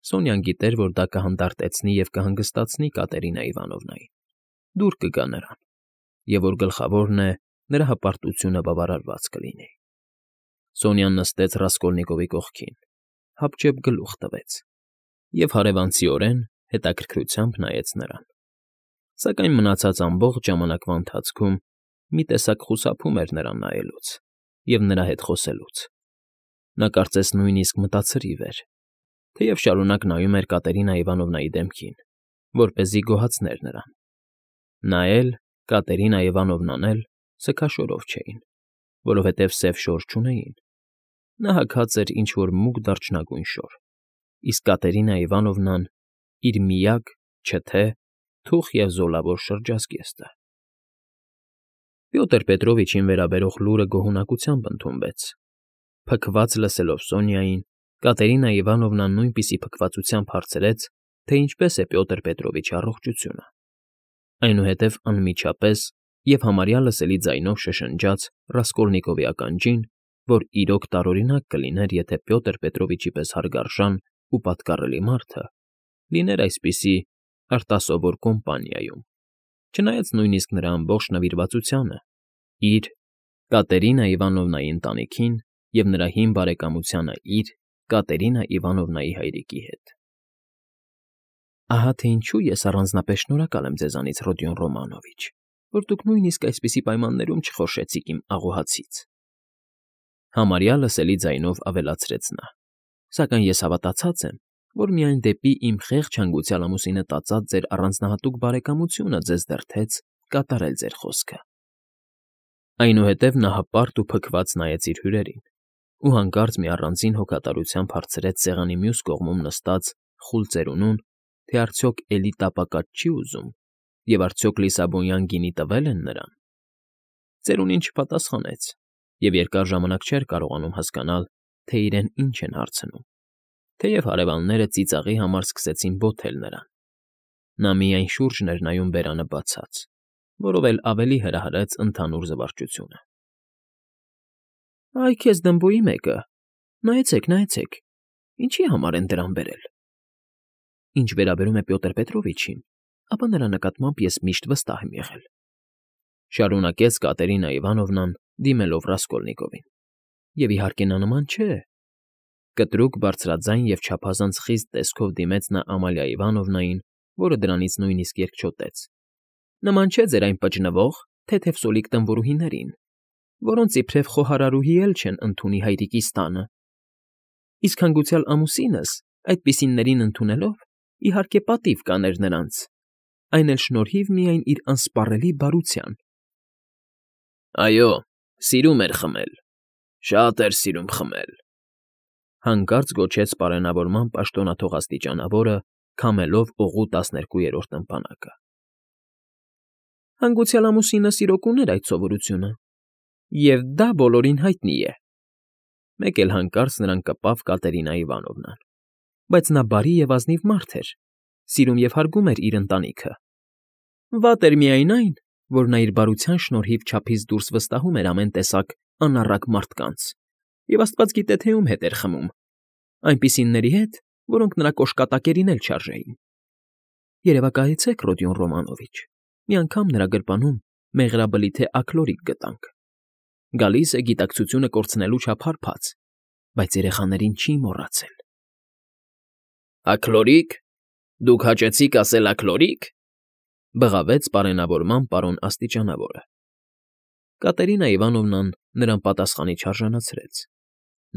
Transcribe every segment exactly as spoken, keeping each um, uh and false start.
Սոնյան գիտեր, որ դա կհանդարտեցնի և կհանգստացնի Կատերինա Իվանովնային, դուր կգա նրան, և որ գլխավորն է, նրա հպարտությունը բավարարված կլինի։ Սոնյան նստեց Ռասկոլնիկովի կողքին, հապճեպ գլուխ տվեց և հարևանցիորեն հետաքրքրությամբ նայեց նրան, սակայն մնացած ամբողջ ժամանակվա ընթացքում մի տեսակ խուսափում էր նրան նայելուց և նրա հետ խոսելուց. նա կարծես նույնիսկ մտացրիվ էր, թեև շարունակ նայում էր Կատերինա Իվանովնայի դեմքին, որպեսզի գոհացներ նրան. նա էլ, Կատերինա Իվանովնան էլ սգաշորով չէին, որովհետև սև շոր չունեին. նա հագած էր ինչ֊որ մուգ դարչնագույն շոր, իսկ Կատերինա Իվանովնան՝ իր միակ, չթե, թուխ և զոլավոր շրջազգեստը։ Պյոտր Պետրովիչին վերաբերող լուրը գոհունակությամբ ընդունվեց. փքված լսելով Սոնյային, Կատերինա Իվանովնան նույնպիսի փքվածությամբ հարցրեց, թե ինչպես է Պյոտր Պետրովիչի առողջությունը, այնուհետև անմիջապես և համարյա լսելի ձայնով շշնջաց Ռասկոլնիկովի ականջին, որ իրոք տարօրինակ կլիներ, եթե Պյոտր Պետրովիչի պես հարգարժան ու պատկառելի մարդը լիներ այսպիսի արտասովոր կոմպանիայում, չնայած նույնիսկ նրա ամբողջ նվիրվածությանը իր, Կատերինա Իվանովնայի ընտանիքին և նրա հին բարեկամությանը իր, Կատերինա Իվանովնայի հայրիկի հետ։ Ահա թե ինչու ես առանձնապես շնորհակալ եմ ձեզանից, Ռոդիոն Ռոմանովիչ, որ դուք նույնիսկ այսպիսի պայմաններում չխորշեցիք իմ աղոհացից,֊ համարյա լսելի ձայնով ավելացրեց նա,֊ սակայն ես հավատացած եմ, որ միայն դեպի իմ խեղճ հանգուցյալ ամուսինը տածած ձեր առանձնահատուկ բարեկամությունը ձեզ դրդեց կատարել ձեր խոսքը։ Այնուհետև նա հպարտ ու փքված նայեց իր հյուրերին ու հանկարծ մի առանձին հոգատարությամբ հարցրեց սեղանի մյուս կողմում նստած խուլ ծերունուն, թե արդյոք էլի տապակած չի ուզում և արդյոք լիսաբոնյան գինի տվե՞լ են նրան։ Ծերունին չպատասխանեց և երկար ժամանակ չէր կարողանում հասկանալ, թե իրեն ինչ են հարցնում, թեև հարևանները ծիծաղի համար սկսեցին բոթել նրան։ Նա միայն շուրջն էր նայում բերանը բացած, որով էլ ավելի հրահրեց ընդհանուր զվարճությունը։ ֊ Այ քեզ Դմբոյի մեկը, նայեցեք, նայեցեք, ինչի՞ համար են դրան բերել։ Ինչ վերաբերում է Պյոտր Պետրովիչին, ապա նրա նկատմամբ ես միշտ վստահ եմ եղել,֊ շարունակեց Կատերինա Իվանովնան, դիմելով Ռասկոլնիկովին,֊ և, իհարկե, նա նման չէ…֊ Կտրուկ բարձրաձայն և չափազանց խիստ տեսքով դիմեց նա Ամալիա Իվանովնային, որը դրանից նույնիսկ երկչոտեց,֊ նման չէ ձեր այն պճնվող, թեթև սոլիկ տնվորուհիներին, որոնց իբրև խոհարարուհի էլ չեն ընդունի հայրիկիս տանը, իսկ հանգուցյալ ամուսինս այդպիսիներին ընդունելով, իհարկե, պատիվ կաներ նրանց, այն էլ շնորհիվ միայն իր անսպառելի բարության։ ֊ Այո, սիրում էր խմել, շատ էր սիրում խմել,֊ հանկարծ գոչեց պարենավորման պաշտոնաթող աստիճանավորը, քամելով օղու տասներկուերորդ ըմպանակը։ ֊ Հանգուցյալ ամուսինս իրոք ուներ այդ սովորությունը, և դա բոլորին հայտնի է,֊ մեկ էլ հանկարծ նրան կպավ Կատերինա Իվանովնան,֊ բայց նա բարի և ազնիվ մարդ էր, սիրում և հարգում էր իր ընտանիքը։ Վատ էր միայն այն, որ նա իր բարության շնորհիվ չափից դուրս վստահում էր ամեն տեսակ անառակ մարդկանց և աստված գիտե, թե ում հետ էր խմում, այնպիսիների հետ, որոնք նրա կոշկատակերին էլ չարժեին։ Երևակայեցեք, Ռոդիոն Ռոմանովիչ, մի անգամ նրա գրպանում մեղրաբլիթե աքլորիկ գտանք, գալիս է գիտակցությունը կորցնելու չափ հարբած, բայց երեխաներին չի մոռացել։ ֊ Աքլորի՞կ, դուք հաճեցիք ասել աքլորի՞կ,֊ բղավեց պարենավորման պարոն աստիճանավորը։ Կատերինա Իվանովնան նրան պատասխանի չարժանացրեց։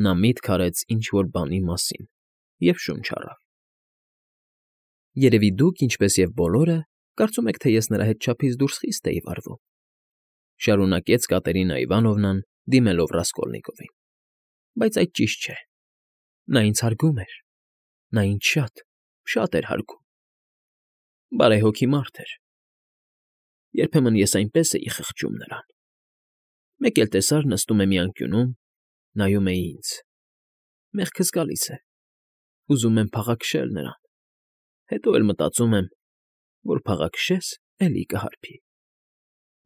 Նա միտք արեց ինչ֊որ բանի մասին և շունչ առավ։ ֊ Երևի դուք, ինչպես և բոլորը, կարծում եք, թե ես նրա հետ չափից դուրս խիստ էի վարվում,֊ շարունակեց Կատերինա Իվանովնան, դիմելով Ռասկոլնիկովին,֊ բայց այդ ճիշտ չէ։ Նա ինձ հարգում էր, նա ինձ շատ, շատ էր հարգում, բարեհոգի մարդ էր։ Երբեմն ես այնպես էի խղճում նրան… Մեկ էլ տեսար նստում է մի անկյունում, նայում է ինձ, մեղքս գալիս է, ուզում եմ փաղաքշել նրան, հետո էլ մտածում եմ, որ փաղաքշես, էլի կհարբի,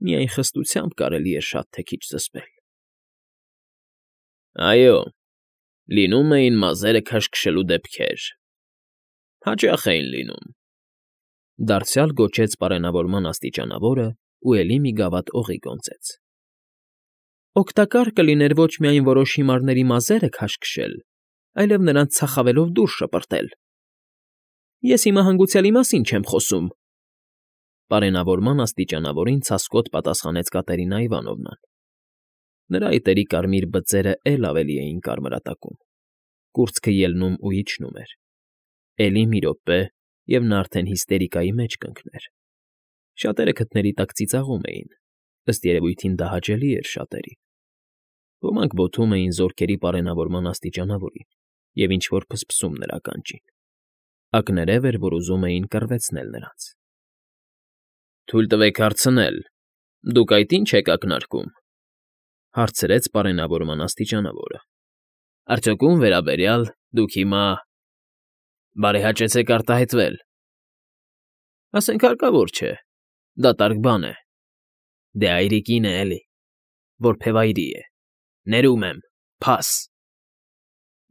միայն խստությամբ կարելի էր շատ թե քիչ զսպել։ ֊ Այո, լինում էին մազերը քաշքշելու դեպքեր, Հաճախ էին լինում,֊ դարձյալ գոչեց պարենավորման աստիճանավորը ու էլի մի գավաթ օղի գոնձեց։ ֊ Օգտակար կլիներ ոչ միայն որոշ հիմարների մազերը քաշքշել, այլև նրանց ցախավելով դուրս շպրտել։ ֊ Ես հիմա հանգուցյալի մասին չեմ խոսում,֊ պարենավորման աստիճանավորին ցասկոտ պատասխանեց Կատերինա Իվանովնան. նրա այտերի կարմիր բծերն էլ ավելի էին կարմրատակում, կուրծքը ելնում ու իջնում էր։ Էլի մի րոպե, և նա արդեն հիստերիկայի մեջ կընկներ։ Շատերը քթների տակ ծիծաղում էին, ըստ երևույթին դա հաճելի էր շատերին։ Ոմանք բոթում էին զորքերի պարենավորման աստիճանավորին և ինչ֊որ փսփսում նրա ականջին։ Ակներև էր, որ ուզում էին կռվեցնել նրանց։ ֊ Թույլ տվեք հարցնել, դուք այդ ի՞նչ եք ակնարկում,֊ հարցրեց պարենավորման աստիճանավորը։ ֊ Արդյոք ո՞ւմ վերաբերյալ դուք հիմա… Բարեհաճեցեք արտահայտվել։ ֊ Ասենք հարկավոր չէ, դատարկ բան է։ ֊ Դե այրիկին է էլի, որբևայրի է, ներում եմ, փաս…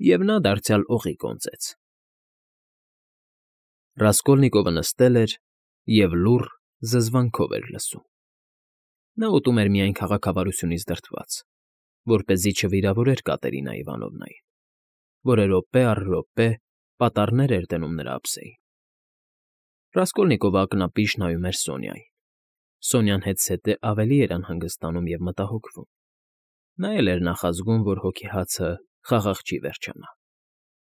Եվ նա դարձյալ օղի գոնձեց։ Ռասկոլնիկովը նստել էր և լուռ զզվանքով էր լսում։ Նա ուտում էր միայն քաղաքավարությունից դրդված, որպեսզի չվիրավորեր Կատերինա Իվանովնային, որը րոպե առ րոպե պատառներ էր դնում նրա ափսեին։ Ռասկոլնիկովը ակնապիշ նայում էր Սոնյային։ Սոնյան հետզհետե ավելի էր անհանգստանում և մտահոգվում։ Նա էլ էր նախազգում, որ հոգեհացը խաղաղ չի վերջանա,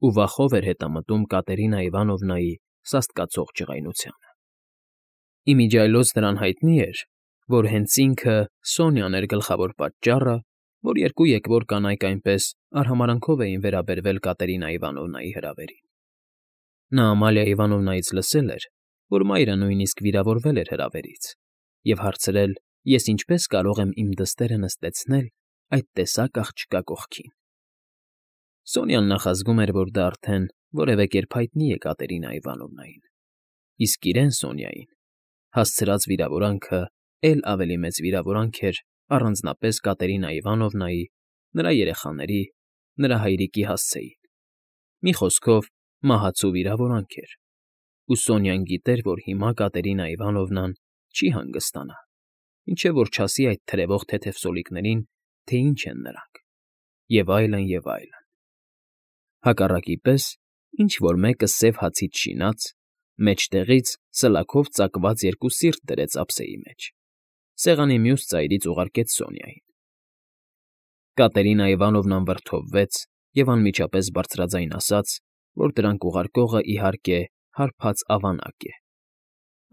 ու վախով էր հետամտում Կատերինա Իվանովնայի սաստկացող ջղայնությանը։ Ի միջի այլոց նրան հայտնի էր, որ հենց ինքը՝ Սոնյան էր գլխավոր պատճառը, որ երկու եկվոր կանայք այնպես արհամարհանքով էին վերաբերվել Կատերինա Իվանովնայի հրավերին։ Նա Ամալիա Իվանովնայից լսել էր, որ մայրը նույնիսկ վիրավորվել էր հրավերից, և հարցրել, ես ինչպես կարող եմ իմ դստերը նստեցնել այդ տեսակ աղջկա կողքին։ Սոնյան նախազգում էր, որ դա արդեն որևէ կերպ հայտնի է Կատերինա Իվանովնային, իսկ իրեն՝ Սոնյային, հասցրած վիրավորանքը էլ ավելի մեծ վիրավորանք էր առանձնապես Կատերինա Իվանովնայի, նրա երեխաների, նրա հայրիկի հասցեին։ Մի խոսքով, մահացու վիրավորանք էր, ու Սոնյան գիտեր, որ հիմա Կատերինա Իվանովնան չի հանգստանա, մինչև որ չասի այդ թրևող թեթև սոլիկներին, թե ինչ են նրանք, և այլն, և այլն։ Հակառակի պես ինչ֊որ մեկը սև հացից շինած, մեջտեղից սլաքով ծակված երկու սիրտ դրեց ափսեի մեջ, սեղանի մյուս ծայրից ուղարկեց Սոնյային։ Կատերինա Իվանովնան վրդովվեց և անմիջապես բարձրաձայն ասաց, որ դրանք ուղարկողը, իհարկե, հարբած ավանակ է։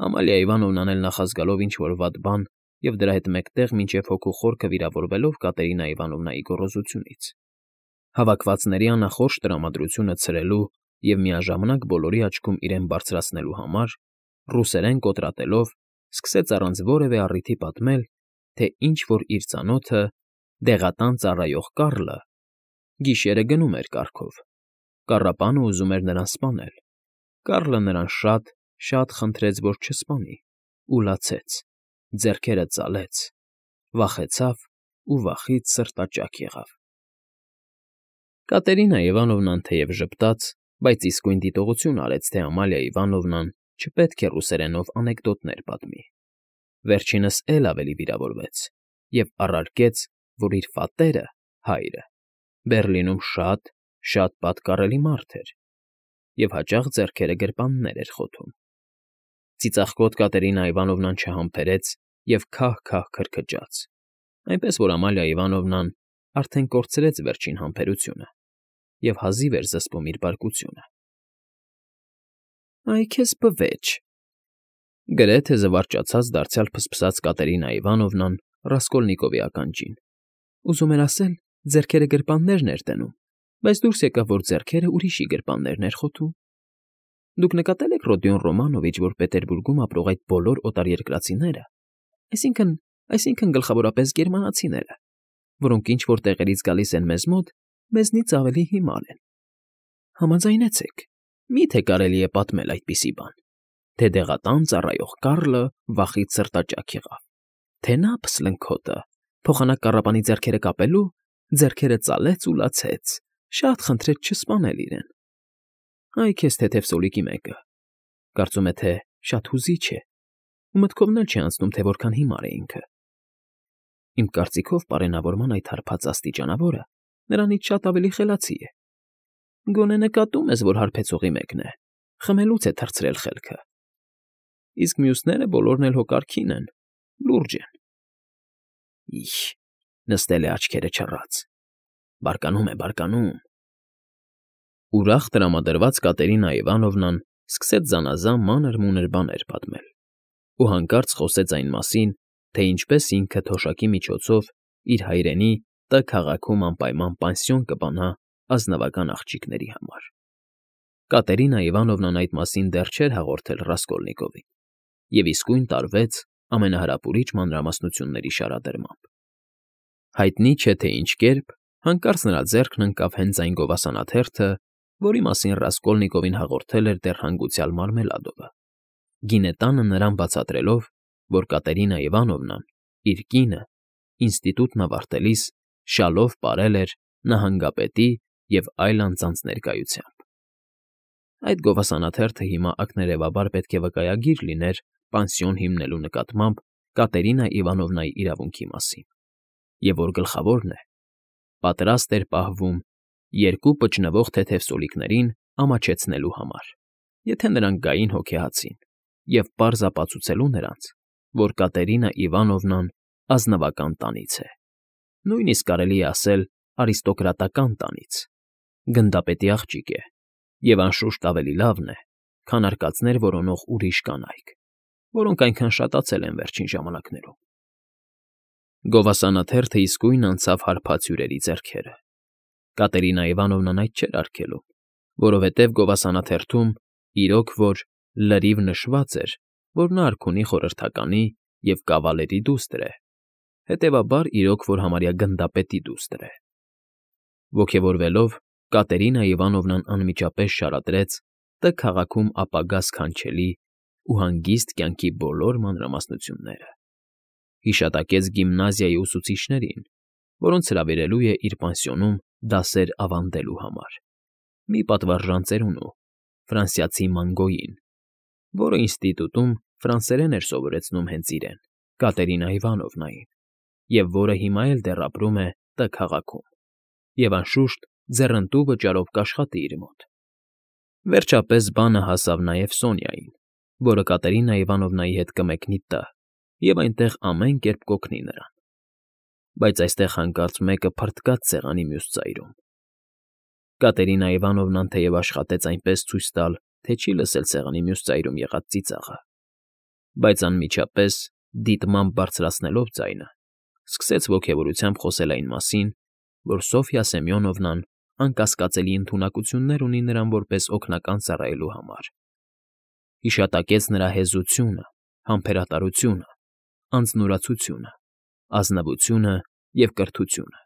Ամալիա Իվանովնան էլ նախազգալով ինչ֊որ վատ բան և դրա հետ մեկտեղ մինչև հոգու խորքը վիրավորվելով Կատերինա Իվանովնայի գոռոզությունից, հավաքվածների անախորժ տրամադրությունը ցրելու և միաժամանակ բոլորի աչքում իրեն բարձրացնելու համար, ռուսերեն կոտրատելով, սկսեց առանց որևէ առիթի պատմել, թե ինչ֊որ իր ծանոթը՝ դեղատան ծառայող Կառլը, գիշերը գնում էր կառքով, կառապանը ուզում էր նրան սպանել, Կառլը նրան շատ, շատ խնդրեց, որ չսպանի, ու լացեց, ձեռքերը ծալեց, վախեցավ ու վախից սրտաճաք եղավ։ Կատերինա Իվանովնան թեև ժպտաց, բայց իսկույն դիտողություն արեց, թե Ամալիա Իվանովնան չպետք է ռուսերենով անեկդոտներ պատմի։ Վերջինս էլ ավելի վիրավորվեց և առարկեց, որ իր պատերը՝ հայրը, Բեռլինում շատ, շատ պատկառելի մարդ էր և հաճախ ձեռքերը գրպաններ էր խոթում։ Ծիծաղկոտ Կատերինա Իվանովնան չհամբերեց և քահ֊քահ քրքջաց, այնպես որ Ամալիա Իվանովնան արդեն կորցրեց վերջին համբերությունը և հազիվ էր զսպում իր բարկությունը։ ֊ Այ քեզ բվեճ,֊ գրեթե զվարճացած դարձյալ փսփսաց Կատերինա Իվանովնան Ռասկոլնիկովի ականջին։ Ուզում էր ասել, ձեռքերը գրպաններն էր դնում, բայց դուրս եկավ, որ ձեռքերը ուրիշի գրպաններն էր խոթում։ Դուք նկատել եք, Ռոդիոն Ռոմանովիչ, որ Պետերբուրգում ապրող այդ բոլոր օտարերկրացիները, այսինքն՝ այսինքն գլխավորապես գերմանացիները, որոնք ինչ֊որ տեղերից գալիս են մեզ մոտ, մեզնից ավելի հիմար են։ Համաձայնեցեք, մի՞թե կարելի է պատմել այդպիսի բան, թե դեղատան ծառայող Կառլը վախից սրտաճաք եղավ, թե նա, փսլնքոտը, փոխանակ կառապանի ձեռքերը կապելու, ձեռքերը ծալեց ու լացեց, շատ խնդրեց չսպանել իրեն։ Այ քեզ թեթև սոլիկի մեկը, Կարծում է, թե շատ հուզիչ է, ու մտքովն էլ չի անցնում, թե որքան հիմար է ինքը։ Իմ կարծիքով պարենավորման այդ հարբած աստիճանավորը նրանից շատ ավելի խելացի է։ Գոնե նկատում ես, որ հարբեցողի մեկն է, խմելուց է թռցրել խելքը։ Իսկ մյուսները բոլորն էլ հո կարգին են, լուրջ են։ Իհ, նստել է աչքերը չռած։ Բարկանում է, բարկանում։ Ուրախ տրամադրված Կատերինա Իվանովնան սկսեց զանազան մանր֊մունր բաներ պատմել ու հանկարծ խոսեց այն մասին, թե ինչպես ինքը թոշակի միջոցով իր հայրենի Տ քաղաքում անպայման պանսիոն կբանա ազնվական աղջիկների համար։ Կատերինա Իվանովնան այդ մասին դեռ չէր հաղորդել Ռասկոլնիկովին և իսկույն տարվեց ամենահրապուրիչ մանրամասնությունների շարադրմամբ։ Հայտնի չէ, թե ինչ կերպ հանկարծ նրա ձեռքն ընկավ հենց այն գովասանաթերթը, որի մասին Ռասկոլնիկովին հաղորդել էր դեռ հանգուցյալ Մարմելադովը, գինետանը նրան բացատրելով, որ Կատերինա Իվանովնան, իր կինը, ինստիտուտն ավարտելիս շալով պարել էր նահանգապետի և այլ անձանց ներկայությամբ։ Այդ գովասանաթերթը հիմա ակներևաբար պետք է վկայագիր լիներ պանսիոն հիմնելու նկատմամբ Կատերինա Իվանովնայի իրավունքի մասին, և որ գլխավորն է, պատրաստ էր պահվում երկու պճնվող թեթև սոլիկներին ամաչեցնելու համար, եթե նրանք գային հոգեհացին, և պարզ ապացուցելու նրանց, որ Կատերինա Իվանովնան ազնվական տանից է, նույնիսկ կարելի է ասել արիստոկրատական տանից, գնդապետի աղջիկ է, և անշուշտ ավելի լավն է, քան արկածներ որոնող ուրիշ կանայք, որոնք այնքան շատացել են վերջին ժամանակներում։ Գովասանաթերթը իսկույն անցավ հարբած հյուրերի ձեռքերը։ Կատերինա Իվանովնան այդ չէր արգելում, որովհետև գովասանաթերթում իրոք որ լրիվ նշված էր, որ նա արքունի խորհրդականի և կավալերի դուստր է, հետևաբար իրոք որ համարյա գնդապետի դուստր է։ Ոգևորվելով, Կատերինա Իվանովնան անմիջապես շարադրեց Տ քաղաքում ապագա սքանչելի ու հանգիստ կյանքի բոլոր մանրամասնությունները, հիշատակեց գիմնազիայի ուսուցիչներին, որոնց հրավիրելու է իր պանսիոնում դասեր ավանդելու համար, մի պատվարժան ծերունու, ֆրանսիացի Մանգոյին, որը ինստիտուտում ֆրանսերեն էր սովորեցնում հենց իրեն, Կատերինա Իվանովնային, և որը հիմա էլ դեռ ապրում է Տ քաղաքում, և անշուշտ ձեռնտու վճարով կաշխատի իր մոտ։ Վերջապես բանը հասավ նաև Սոնյային, որը Կատերինա Իվանովնայի հետ կմեկնի Տ և այնտեղ ամեն կերպ կօգնի նրան։ Բայց այստեղ հանկարծ մեկը փռթկաց սեղանի մյուս ծայրում։ Կատերինա Իվանովնան թեև աշխատեց այնպես ցույց տալ, թե չի լսել սեղանի մյուս ծայրում եղած ծիծաղը, բայց անմիջապես, դիտմամբ բարձրացնելով ձայնը, սկսեց ոգևորությամբ խոսել այն մասին, որ Սոֆյա Սեմյոնովնան անկասկածելի ընդունակություններ ունի նրան որպես օգնական ծառայելու համար, հիշատակեց նրա հեզությունը, համբերատարությունը, անձնուրացությունը, ազնվությունը և կրթությունը։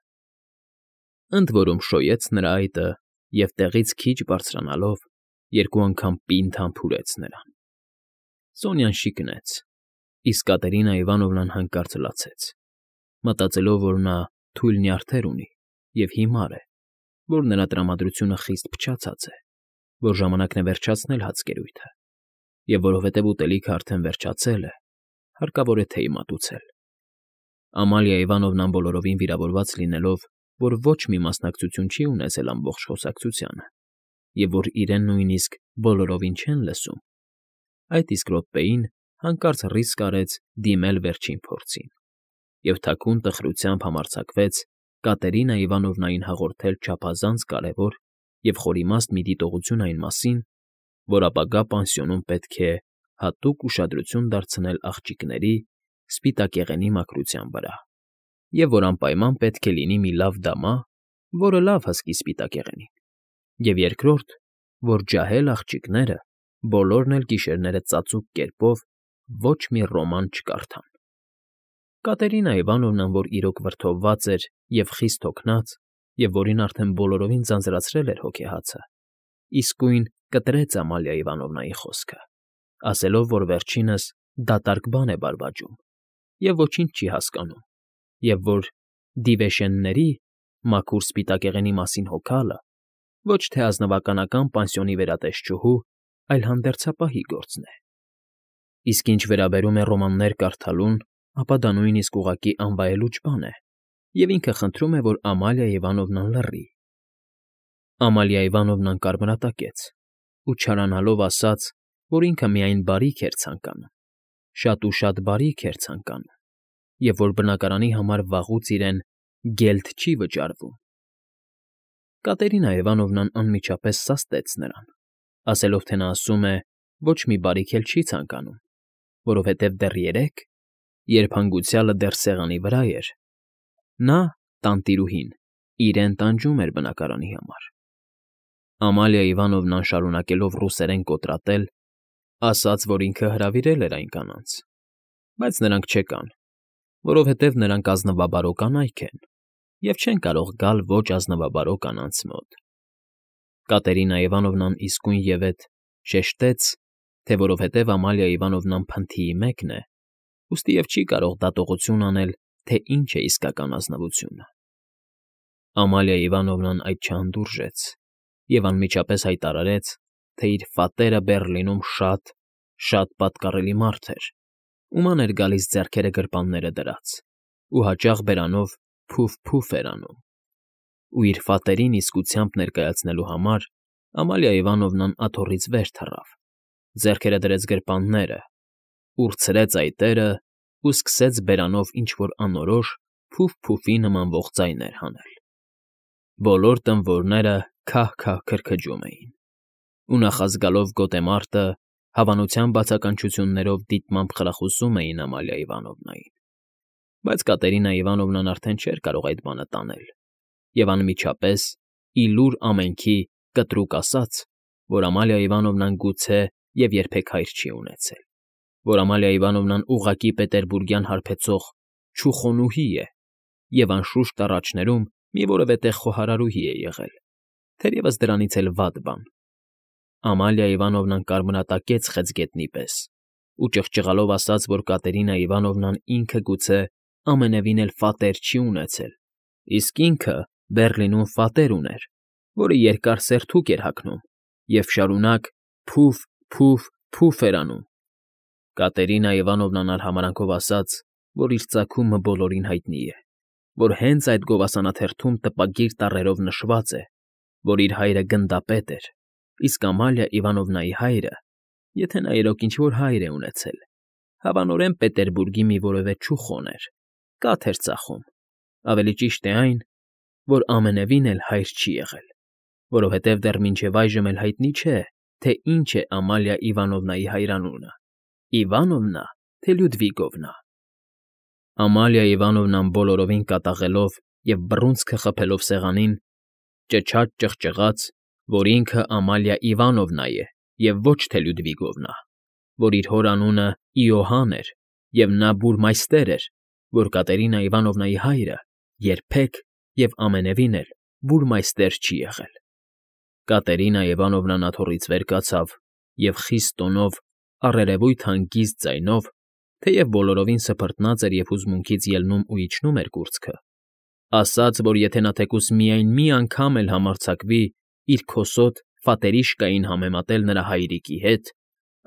Ընդ որում շոյեց նրա այտը և տեղից քիչ բարձրանալով երկու անգամ պինդ համբուրեց նրան։ Սոնյան շիկնեց, իսկ Կատերինա Իվանովնան հանկարծ լացեց, մտածելով, որ նա թույլ նյարդեր ունի և հիմար է, որ նրա տրամադրությունը խիստ փչացած է, որ ժամանակն է վերջացնել հացկերույթը, և որովհետև ուտելիքը արդեն վերջացել է, հարկավոր է թեյ մատուցել։ Ամալիա Իվանովնան բոլորովին վիրավորված լինելով, որ ոչ մի մասնակցություն չի ունեցել ամբողջ խոսակցությանը, և որ իրեն նույնիսկ բոլորովին չեն լսում, այդ իսկ րոպեին հանկարծ ռիսկ արեց դիմել վերջին փորձին և թաքուն տխրությամբ համարձակվեց Կատերինա Իվանովնային հաղորդել չափազանց կարևոր և խորիմաստ մի դիտողություն այն մասին, որ ապագա պանսիոնում պետք է հատուկ ուշադրություն դարձնել աղջիկների սպիտակեղենի մաքրության վրա, և որ անպայման պետք է լինի մի լավ դամա, որը լավ հսկի սպիտակեղենին, և երկրորդ, որ ջահել աղջիկները բոլորն էլ գիշերները ծածուկ կերպով ոչ մի ռոման չկարդան։ Կատերինա Իվանովնան, որ իրոք վրդովված էր և խիստ հոգնած, և որին արդեն բոլորովին ձանձրացրել էր հոգեհացը, իսկույն կտրեց Ամալիա Իվանովնայի խոսքը, ասելով, որ վերջինս դատարկ բան է բարբաջում և ոչինչ չի հասկանում, և որ Դիվեշենների մաքուր սպիտակեղենի մասին հոգալը ոչ թե ազնվականական պանսիոնի վերատեսչուհու, այլ հանդերձապահի գործն է։ Իսկ ինչ վերաբերում է ռոմաններ կարդալուն, ապա դա նույնիսկ ուղղակի անվայելուչ բան է, և ինքը խնդրում է, որ Ամալիա Իվանովնան լռի։ Ամալիա Իվանովնան կարմրատակեց ու չարանալով ասաց, որ ինքը միայն բարիք էր ցանկանում, շատ ու շատ բարիք էր ցանկանում, և որ բնակարանի համար վաղուց իրեն գելտ չի վճարվում։ Կատերինա Իվանովնան անմիջապես սաստեց նրան, ասելով, թե նա ասում է ոչ մի բարիք էլ չի ցանկանում, որովհետև դեռ երեկ, երբ հանգուցյալը դեռ սեղանի վրա էր, նա, տանտիրուհին, իրեն տանջում էր բնակարանի համար։ Ամալիա Իվանովնան շարունակելով ռուսերեն կոտրատել, ասաց, որ ինքը հրավիրել էր այն կանանց, բայց նրանք չեկան, որովհետև նրանք ազնվաբարո կանայք են և չեն կարող գալ ոչ ազնվաբարո կանանց մոտ։ Կատերինա Իվանովնան իսկույնևեթ շեշտեց, թե որովհետև Ամալիա Իվանովնան փնթիի մեկն է, ուստիև չի կարող դատողություն անել, թե ինչ է իսկական ազնվությունը։ Ամալիա Իվանովնան այդ չհանդուրժեց և անմիջապես հայտարարեց, թե իր ֆատերը Բեռլինում շատ, շատ պատկառելի մարդ էր, ում ան էր գալիս ձեռքերը գրպանները դրած ու հաճախ բերանով փուֆ֊փուֆ էր անում, ու իր ֆատերին իսկությամբ ներկայացնելու համար Ամալիա Իվանովնան աթոռից վեր թռավ, ձեռքերը դրեց գրպանները, ուրցրեց այտերը ու սկսեց բերանով ինչ֊որ անորոշ փուֆ֊փուֆի նմանվող ձայներ հանել։ Բոլոր տմբորները քահ֊քահ քրքջում էին, ու նախազգալով գոտեմարտը հավանության բացականչություններով դիտմամբ խրախուսում էին Ամալիա Իվանովնային, բայց Կատերինա Իվանովնան արդեն չէր կարող այդ բանը տանել և անմիջապես, ի լուր ամենքի, կտրուկ ասաց, որ Ամալիա Իվանովնան գուցե և երբեք հայր չի ունեցել, որ Ամալիա Իվանովնան ուղղակի պետերբուրգյան հարբեցող չուխոնուհի է և, անշուշտ, առաջներում մի որևէ տեղ խոհարարուհի է եղել, թերևս դրանից էլ վատ բան։ Ամալիա Իվանովնան կարմրատակեց խեցգետնի պես ու ճղճղալով ասաց, որ Կատերինա Իվանովնան ինքը գուցե ամենևին էլ ֆատեր չի ունեցել, իսկ ինքը Բեռլինում ֆատեր ուներ, որը երկար սերթուկ էր հագնում և շարունակ փուֆ֊փուֆ֊փուֆ էր անում։ Կատերինա Իվանովնան արհամարհանքով ասաց, որ իր ծագումը բոլորին հայտնի է, որ հենց այդ գովասանաթերթում տպագիր տառերով նշված է, որ իր հայրը գնդապետ էր, իսկ Ամալիա Իվանովնայի հայրը, եթե նա իրոք ինչ֊որ հայր է ունեցել, հավանորեն Պետերբուրգի մի որևէ չուխոն էր, կաթ էր ծախում, ավելի ճիշտ է այն, որ ամենևին էլ հայր չի եղել, որովհետև դեռ մինչև այժմ էլ հայտնի չէ, թե ինչ է Ամալիա Իվանովնայի հայրանունը՝ Իվանովնա, թե Լյուդվիգովնա։ Ամալիա Իվանովնան բոլորովին կատաղելով և բռունցքը խփելով սեղանին, ճչաց ճղճղաց, որ ինքը Ամալիա Իվանովնա է և ոչ թե Լյուդվիգովնա, որ իր հոր անունը Իոհան էր, և նա բուրմայստեր էր, որ Կատերինա Իվանովնայի հայրը երբեք և ամենևին էլ բուրմայստեր չի եղել։ Կատերինա Իվանովնան աթոռից վեր կացավ և խիստ տոնով, առերևույթ հանգիստ ձայնով, թեև բոլորովին սփռտնած էր և հուզմունքից ելնում ու իջնում էր կուրծքը, ասաց, որ եթե նա թեկուզ միայն մի անգամ էլ համարձակվի իր քոսոտ ֆատերիշկային համեմատել նրա հայրիկի հետ,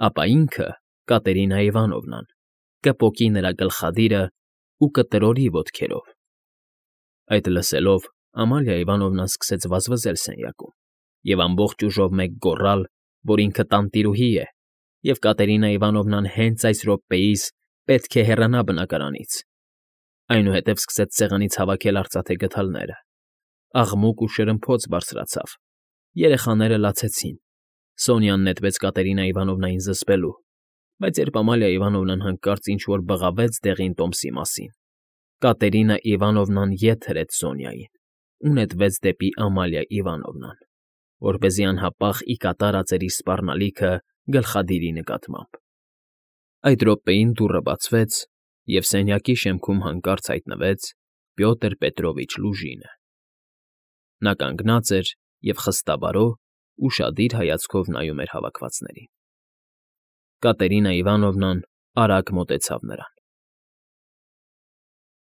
ապա ինքը, Կատերինա Իվանովնան, կպոկի նրա գլխադիրը ու կտրորի ոտքերով։ Այդ լսելով Ամալիա Իվանովնան սկսեց վազվզել սենյակում և ամբողջ ուժով մեկ գոռալ, որ ինքը տանտիրուհի է, և Կատերինա Իվանովնան հենց այս րոպեիս պետք է հեռանա բնակարանից։ Այնուհետև սկսեց սեղանից հավաքել արծաթե գդալները։ Աղմուկ ու շրմփոց բարձրացավ, երեխաները լացեցին, Սոնյան նետվեց Կատերինա Իվանովնային զսպելու, բայց երբ Ամալիա Իվանովնան հանկարծ ինչ֊որ բղավեց դեղին տոմսի մասին, Կատերինա Իվանովնան ետ հրեց Սոնյային ու նետվեց դեպի Ամալիա Իվանովնան, որպեսզի անհապաղ ի կատար ածեր իր սպառնալիքը գլխադիրի նկատմամբ։ Այդ րոպեին դուռը բացվեց, և սենյակի շեմքում հանկարծ հայտնվեց Պյոտր Պետրովիչ Լուժինը։ Նա կանգնած էր և խստաբարո, ուշադիր հայացքով նայում էր հավաքվածներին։ Կատերինա Իվանովնան արագ մոտեցավ նրան։